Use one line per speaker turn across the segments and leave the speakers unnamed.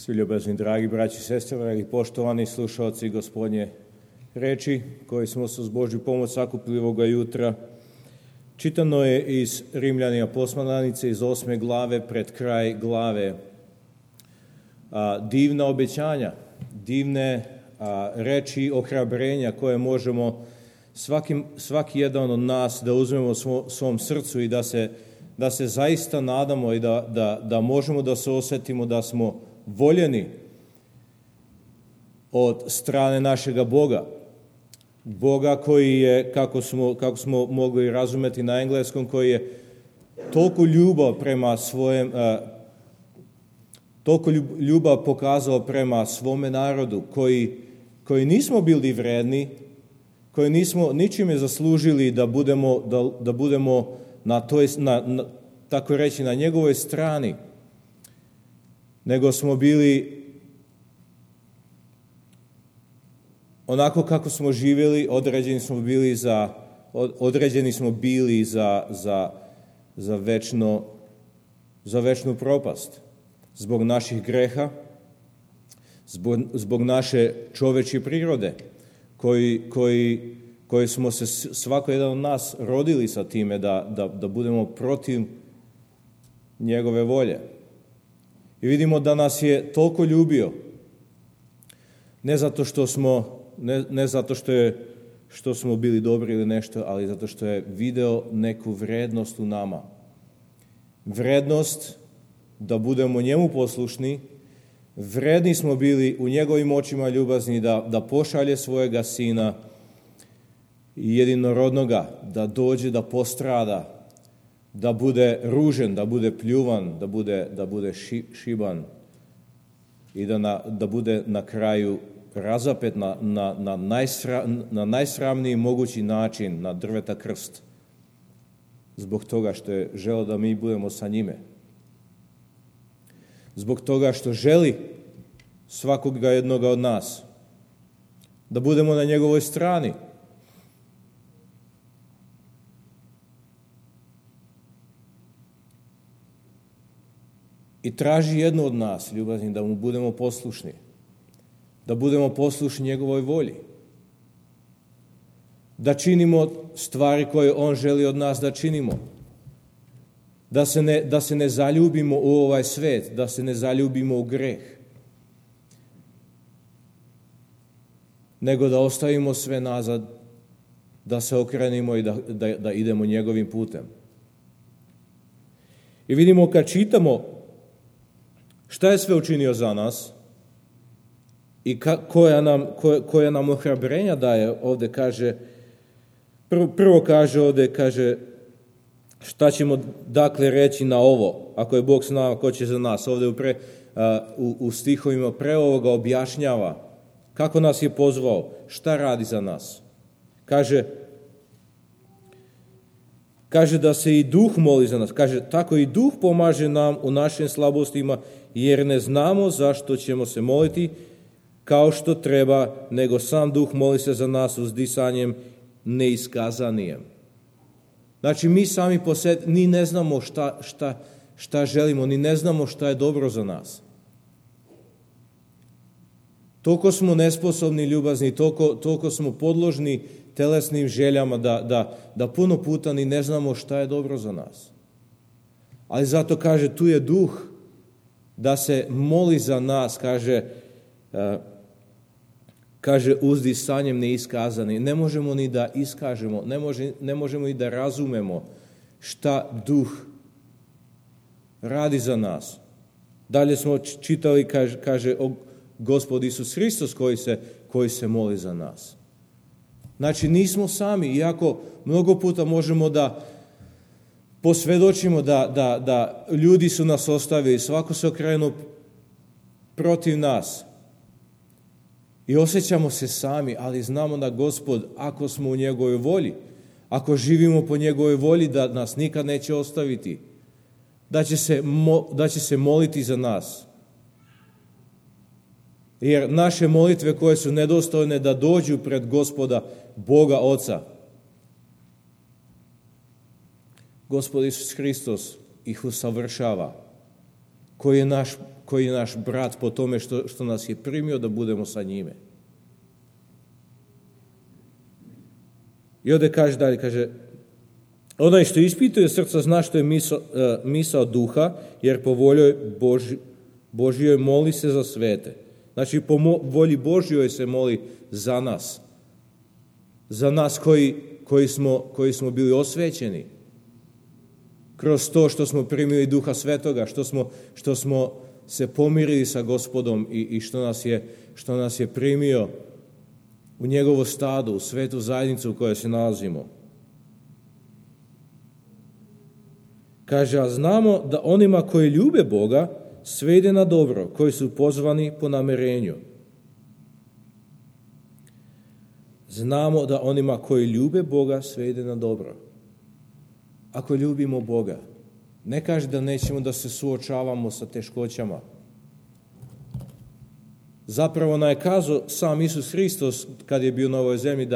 Svi ljubazni, dragi braći i sestre, dragi poštovani slušalci Gospodnje reči, koji smo se uz Božju pomoć sakupili ovoga jutra. Čitano je iz Rimljanima poslanice iz 8. glave pred kraj glave. Divna obećanja, divne reči ohrabrenja koje možemo svaki jedan od nas da uzmemo u svom srcu i da se zaista nadamo i da možemo da se osjetimo da smo voljeni od strane našega Boga. Boga koji je, kako smo mogli razumeti na engleskom, koji je toliko ljubav pokazao prema svome narodu, koji nismo bili vredni, koji nismo ničime zaslužili da budemo tako reći na njegovoj strani, nego smo bili onako kako smo živjeli, određeni smo bili za večnu propast. Zbog naših greha, zbog naše čovečje prirode, koji smo se svako jedan od nas rodili sa time da budemo protiv njegove volje. I vidimo da nas je toliko ljubio, ne zato što smo bili dobri ili nešto, ali zato što je video neku vrednost u nama. Vrednost da budemo njemu poslušni, vredni smo bili u njegovim očima ljubazni da pošalje svojega sina jedinorodnoga, da dođe da postrada, da bude ružen, da bude pljuvan, da bude šiban i da bude na kraju razapet na najsramniji mogući način na drveta krst, zbog toga što je želeo da mi budemo sa njime. Zbog toga što želi svakoga jednoga od nas da budemo na njegovoj strani. I traži jedno od nas, ljubazni, da mu budemo poslušni. Da budemo poslušni njegovoj volji. Da činimo stvari koje on želi od nas da činimo. Da se ne zaljubimo u ovaj svet, da se ne zaljubimo u greh. Nego da ostavimo sve nazad, da se okrenimo i da idemo njegovim putem. I vidimo kad čitamo šta je sve učinio za nas i koja nam ohrabrenja daje, ovdje kaže, prvo kaže ovdje, kaže, šta ćemo dakle reći na ovo, ako je Bog s nama, ko će za nas? Ovdje u stihovima pre ovoga objašnjava kako nas je pozvao, šta radi za nas. Kaže da se i Duh moli za nas. Kaže, tako i Duh pomaže nam u našim slabostima, jer ne znamo zašto ćemo se moliti kao što treba, nego sam Duh moli se za nas uzdisanjem neiskazanijem. Znači, mi sami po sebi ni ne znamo šta želimo, ni ne znamo šta je dobro za nas. Toliko smo nesposobni, ljubazni, toliko smo podložni telesnim željama da puno puta ni ne znamo šta je dobro za nas. Ali zato kaže, tu je Duh da se moli za nas, kaže uzdisanjem neiskazani. Ne možemo ni da iskažemo, ne možemo ni da razumemo šta Duh radi za nas. Dalje smo čitali, kaže Gospod Isus Hristos koji se moli za nas. Znači, nismo sami, iako mnogo puta možemo da posvjedočimo da ljudi su nas ostavili, svako se okrenuo protiv nas. I osjećamo se sami, ali znamo da Gospod, ako smo u njegovoj volji, ako živimo po njegovoj volji, da nas nikad neće ostaviti, da će se moliti za nas. Jer naše molitve koje su nedostojne da dođu pred Gospoda, Boga Oca, Gospod Isus Hristos ih usavršava, koji je naš koji je naš brat po tome što nas je primio da budemo sa njime. I ovdje kaže dalje, kaže, onaj što ispituje srca zna što je misao duha, jer po volji Božjoj moli se za svete. Znači, po volji Božjoj se moli za nas. Za nas koji smo bili osvećeni. Kroz to što smo primili Duha Svetoga, što smo se pomirili sa Gospodom i što nas je primio u njegovo stado, u svetu zajednicu u kojoj se nalazimo. Kaže, a znamo da onima koji ljube Boga sve ide na dobro, koji su pozvani po namerenju. Znamo da onima koji ljube Boga sve ide na dobro. Ako ljubimo Boga, ne kaže da nećemo da se suočavamo sa teškoćama. Zapravo nam je kazao sam Isus Hristos kad je bio na ovoj zemlji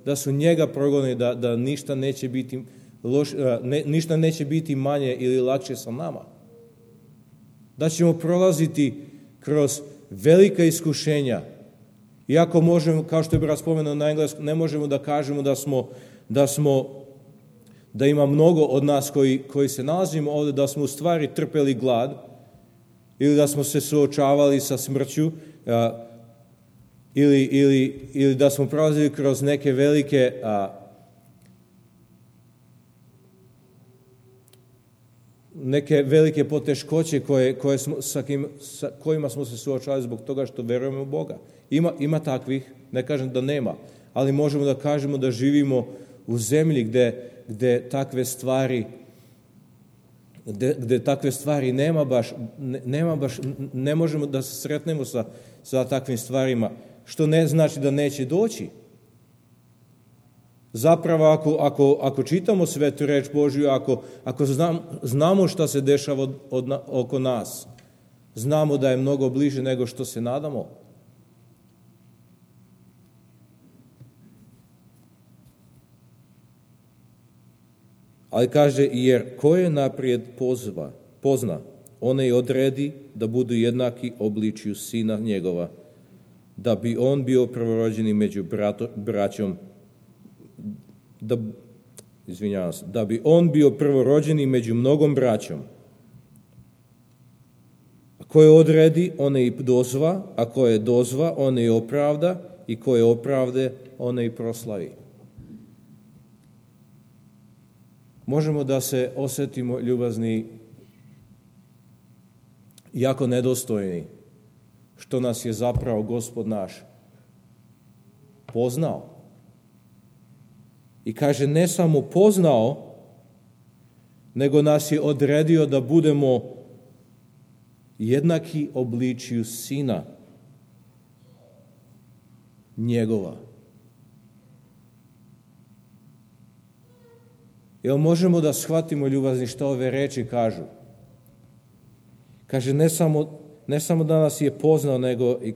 da su njega progonili, da ništa neće biti ništa neće biti manje ili lakše sa nama. Da ćemo prolaziti kroz velika iskušenja. Iako možemo, kao što je brat spomenuo na engleskom, ne možemo da kažemo da ima mnogo od nas koji se nalazimo ovdje, da smo u stvari trpeli glad ili da smo se suočavali sa smrću ili da smo prolazili kroz neke velike poteškoće sa kojima smo se suočavali zbog toga što verujemo u Boga. Ima takvih, ne kažem da nema, ali možemo da kažemo da živimo u zemlji gde takve stvari nema baš, ne možemo da se sretnemo sa takvim stvarima, što ne znači da neće doći. Zapravo, ako čitamo svetu reč Božju, ako znamo šta se dešava oko nas, znamo da je mnogo bliže nego što se nadamo. Ali kaže, jer ko je naprijed pozna, onaj odredi da budu jednaki obličju sina njegova, da bi on bio prvorođeni među braćom, da bi on bio prvorođeni među mnogom braćom. A ko je odredi, one i dozva, a ko je dozva, one i opravda, i ko je opravde, one i proslavi. Možemo da se osjetimo ljubazni, jako nedostojni, što nas je zapravo Gospod naš poznao. I kaže, ne samo poznao, nego nas je odredio da budemo jednaki obličju sina njegova. Jel možemo da shvatimo, ljubazni, što ove reči kažu? Kaže, ne samo da nas je poznao, nego i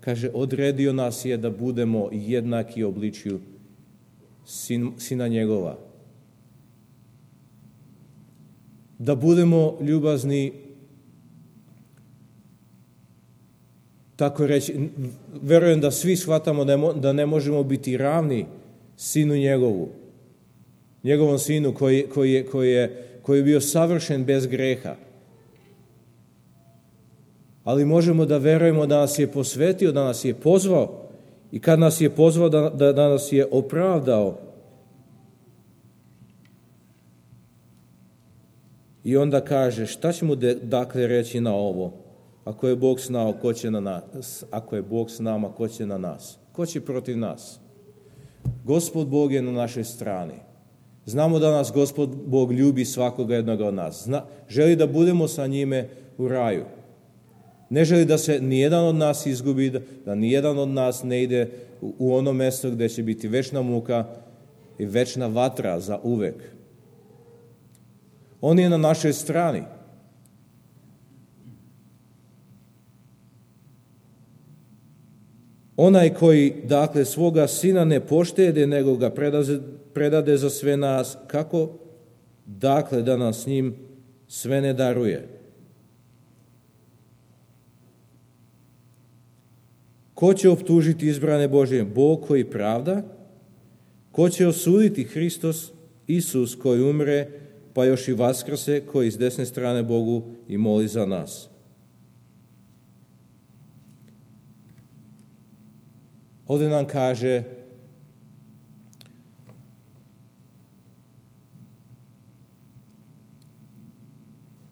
kaže odredio nas je da budemo jednaki obličju sina njegova. Da budemo ljubazni, tako reći, verujem da svi shvatamo da ne možemo biti ravni sinu njegovom sinu koji je bio savršen bez greha. Ali možemo da verujemo da nas je posvetio, da nas je pozvao i kad nas je pozvao da nas je opravdao. I onda kaže, šta ćemo dakle reći na ovo? Ako je Bog s nama, ko će na nas? Ako je Bog s nama, ko će na nas? Ko će protiv nas? Gospod Bog je na našoj strani. Znamo da nas Gospod Bog ljubi svakoga jednoga od nas. Želi da budemo sa njime u raju. Ne želi da se nijedan od nas izgubi, da nijedan od nas ne ide u ono mjesto gdje će biti večna muka i večna vatra za uvek. On je na našoj strani. Onaj koji, dakle, svoga sina ne poštede, nego ga predade za sve nas, kako, dakle, da nam s njim sve ne daruje. Ko će optužiti izbrane Božje? Bog koji pravda. Ko će osuditi? Hristos, Isus koji umre, pa još i vaskrse, koji s desne strane Bogu i moli za nas. Ovdje nam kaže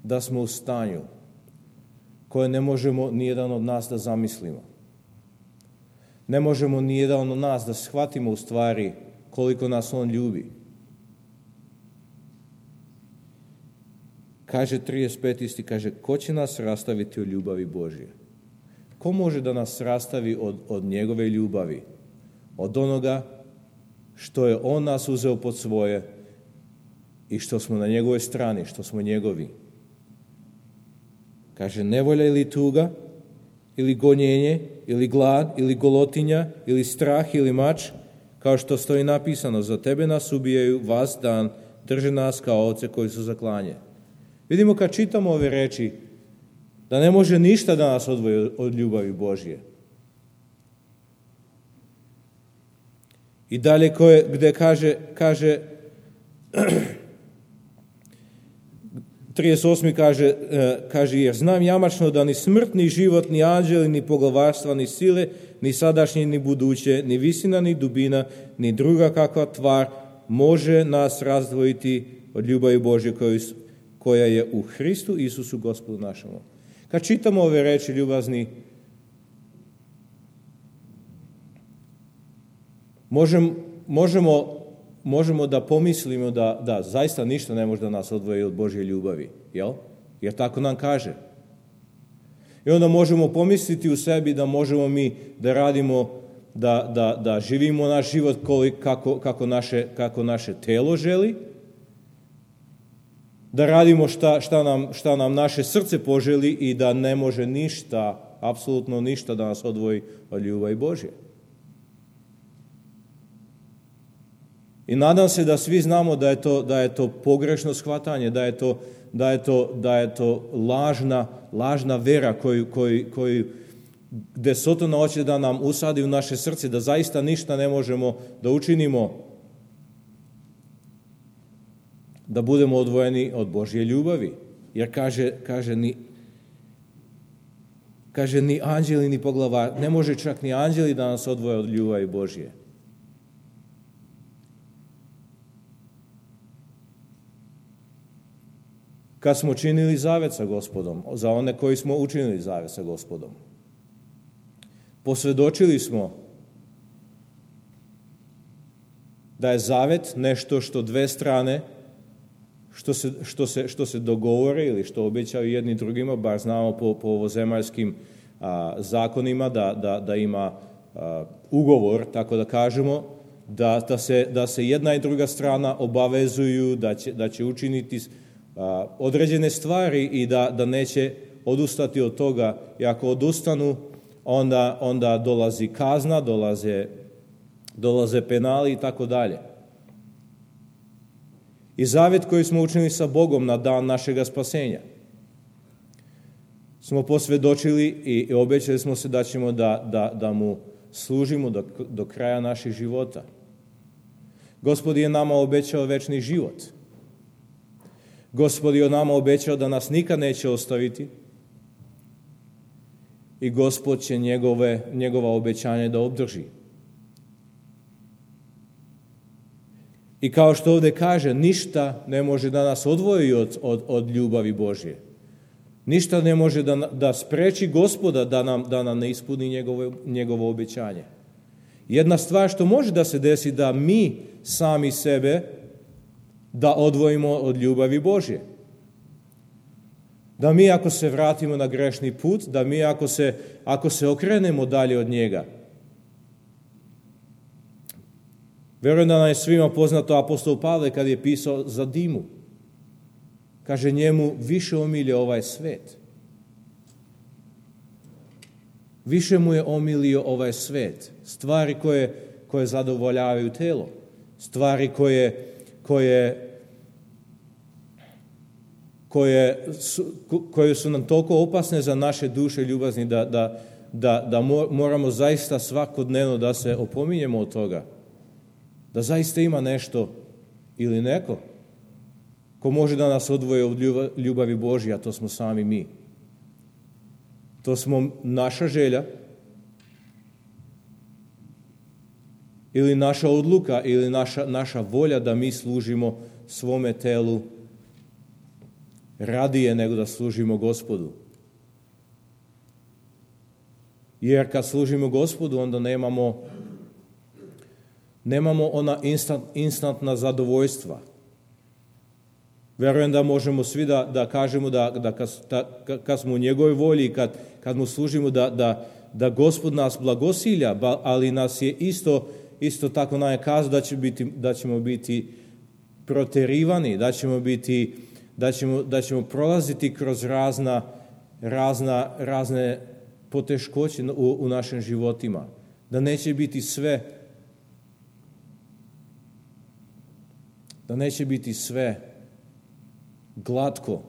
da smo u stanju koje ne možemo nijedan od nas da zamislimo. Ne možemo nijedan od nas da shvatimo u stvari koliko nas on ljubi. Kaže 35. kaže, ko će nas rastaviti od ljubavi Božje? Ko može da nas rastavi od njegove ljubavi? Od onoga što je on nas uzeo pod svoje i što smo na njegovoj strani, što smo njegovi. Kaže, nevolja ili tuga, ili gonjenje, ili glad, ili golotinja, ili strah, ili mač, kao što stoji napisano, za tebe nas ubijaju, vas dan, drže nas kao ovce koji su za klanje. Vidimo kad čitamo ove reči, da ne može ništa da nas odvoji od ljubavi Božje. I dalje gdje kaže 38. kaže, jer znam jamačno da ni smrt, ni život, ni anđeli, ni poglavarstva, ni sile, ni sadašnje, ni buduće, ni visina, ni dubina, ni druga kakva tvar može nas razdvojiti od ljubavi Božje koja je u Hristu Isusu Gospodu našemu. Kad čitamo ove reči, ljubazni, možemo da pomislimo da zaista ništa ne može da nas odvoji od Božje ljubavi, jel? Jer tako nam kaže. I onda možemo pomisliti u sebi da možemo mi da radimo, da živimo naš život kako naše telo želi, da radimo šta nam naše srce poželi i da ne može ništa, apsolutno ništa da nas odvoji od ljubavi Božje. I nadam se da svi znamo da je to pogrešno shvatanje, da je to lažna vera koju gdje Sotona hoće da nam usadi u naše srce, da zaista ništa ne možemo da učinimo da budemo odvojeni od Božje ljubavi. Jer kaže ni anđeli ni poglavar, ne može čak ni anđeli da nas odvoje od ljubavi Božje. Kad smo činili zavet sa Gospodom, za one koji smo učinili zavet sa Gospodom, posvjedočili smo da je zavet nešto što dve strane, što se dogovore ili što obećaju jedni drugima, bar znamo po ovozemaljskim zakonima da ima ugovor, tako da kažemo, da se jedna i druga strana obavezuju da će učiniti određene stvari i da neće odustati od toga. I ako odustanu, onda dolazi kazna, dolaze penali i tako dalje. I zavjet koji smo učinili sa Bogom na dan našega spasenja smo posvjedočili i obećali smo se da ćemo da mu služimo do kraja naših života. Gospod je nama obećao večni život. Gospod je nama obećao da nas nikad neće ostaviti i Gospod će njegova obećanja da obdrži. I kao što ovdje kaže, ništa ne može da nas odvoji od ljubavi Božje. Ništa ne može da spreči Gospoda da nam ne ispuni njegovo obećanje. Jedna stvar što može da se desi, da mi sami sebe da odvojimo od ljubavi Božje. Da mi ako se vratimo na grešni put, da mi ako se okrenemo dalje od njega. Vjerujem da nam je svima poznato apostol Pavle kad je pisao za Dimu. Kaže, njemu više omilio ovaj svet. Više mu je omilio ovaj svet. Stvari koje zadovoljavaju telo. Stvari koje su nam toliko opasne za naše duše ljubazni da moramo zaista svakodnevno da se opominjemo od toga. Da zaista ima nešto ili neko ko može da nas odvoji od ljubavi Božje, a to smo sami mi. To smo naša želja ili naša odluka ili naša volja da mi služimo svome telu radije nego da služimo Gospodu. Jer kad služimo Gospodu, onda nemamo ona instantna zadovoljstva. Verujem da možemo svi da kažemo da kad smo u njegovoj volji, kad mu služimo, da Gospod nas blagosilja, ali nas je isto tako nam je kazao da ćemo biti proterivani, da ćemo prolaziti kroz razne poteškoće u našim životima. Da neće biti sve glatko,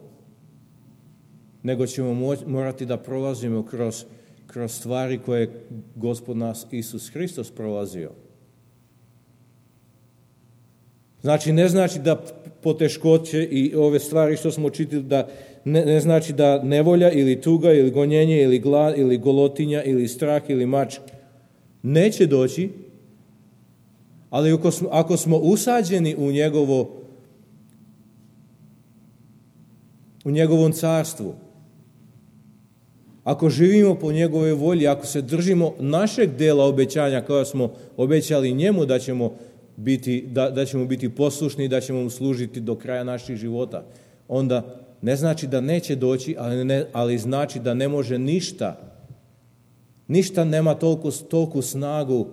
nego ćemo morati da prolazimo kroz stvari koje je Gospod nas Isus Hristos prolazio. Znači, ne znači da poteškoće i ove stvari što smo čitali, da ne znači da nevolja ili tuga ili gonjenje ili glad ili golotinja ili strah ili mač neće doći, ali ako smo usađeni u njegovom carstvu, ako živimo po njegovoj volji, ako se držimo našeg dela obećanja koja smo obećali njemu da ćemo biti poslušni i da ćemo mu služiti do kraja naših života, onda ne znači da neće doći, ali znači da ne može ništa nema toliku snagu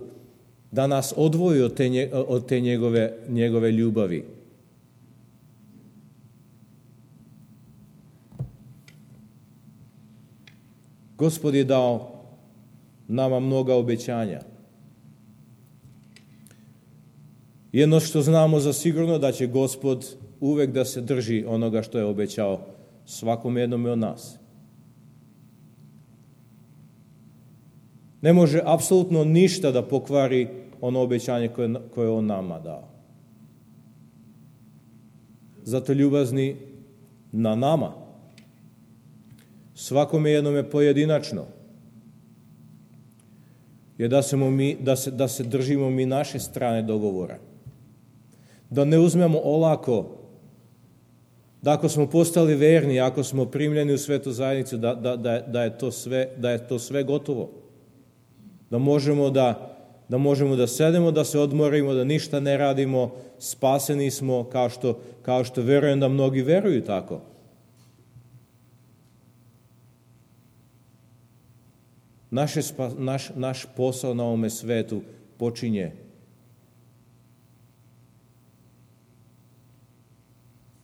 da nas odvoji od te njegove ljubavi. Gospod je dao nama mnoga obećanja. Jedno što znamo za sigurno da će Gospod uvek da se drži onoga što je obećao svakom jednome od nas. Ne može apsolutno ništa da pokvari ono obećanje koje on nama dao. Zato ljubazni na nama, svakome jednome pojedinačno, je da se držimo mi naše strane dogovora. Da ne uzmemo olako, da ako smo postali verni, ako smo primljeni u svetu zajednicu, da je to sve gotovo. Da možemo da sedemo, da se odmorimo, da ništa ne radimo, spaseni smo, kao što verujem da mnogi veruju tako. Naš posao na ovome svetu počinje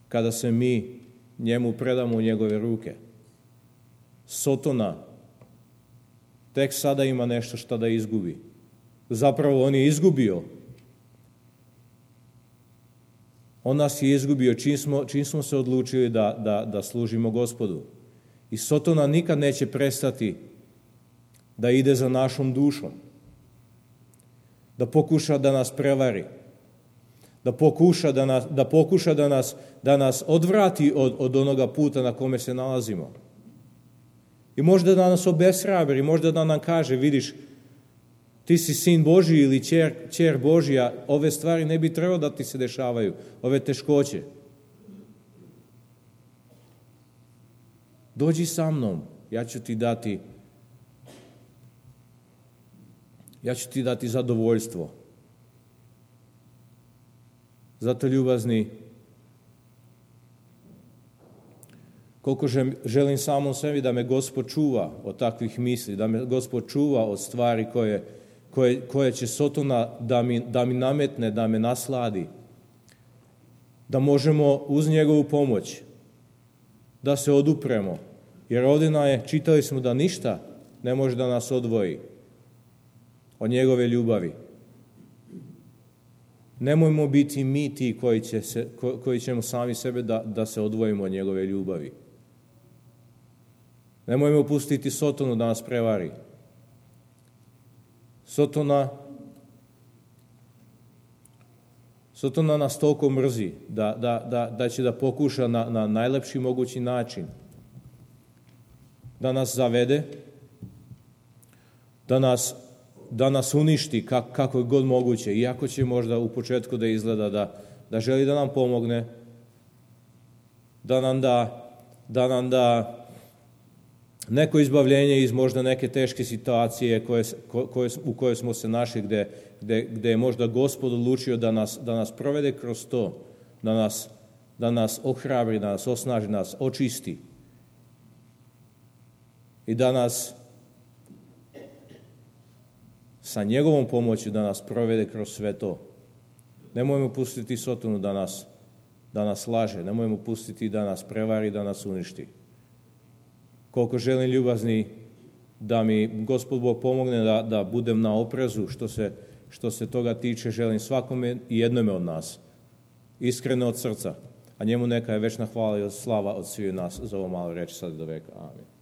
kada se mi njemu predamo u njegove ruke. Sotona tek sada ima nešto što da izgubi. Zapravo on je izgubio. On nas je izgubio čim smo se odlučili da služimo Gospodu. I Sotona nikad neće prestati da ide za našom dušom. Da pokuša da nas prevari. Da pokuša da nas odvrati od onoga puta na kome se nalazimo. I možda da nas obeshrabri, možda da nam kaže, vidiš, ti si sin Božji ili ćer Božja, ove stvari ne bi trebalo da ti se dešavaju, ove teškoće. Dođi sa mnom, ja ću ti dati zadovoljstvo. Zato ljubazni, koliko želim samom sebi da me Gospod čuva od takvih misli, da me Gospod čuva od stvari koje će Sotona da mi nametne, da me nasladi, da možemo uz njegovu pomoć da se odupremo. Jer ovdje čitali smo da ništa ne može da nas odvoji od njegove ljubavi. Nemojmo biti mi ti koji ćemo sami sebe da se odvojimo od njegove ljubavi. Nemojmo pustiti Sotonu da nas prevari. Sotona nas toliko mrzi da će da pokuša na najlepši mogući način da nas zavede, da nas uništi kako je god moguće, iako će možda u početku da izgleda da želi da nam pomogne, da nam da neko izbavljenje iz možda neke teške situacije u kojoj smo se našli, gde je možda Gospod odlučio da nas provede kroz to, da nas ohrabri, da nas osnaži, da nas očisti i da nas sa njegovom pomoći da nas provede kroz sve to. Nemojmo pustiti Sotonu da nas laže, nemojmo pustiti da nas prevari, da nas uništi. Koliko želim, ljubazni, da mi Gospod Bog pomogne da budem na oprezu što se toga tiče, želim svakome i jednome od nas, iskreno od srca, a njemu neka je večna hvala i slava od svih nas za ovo malo reći sad do veka. Amen.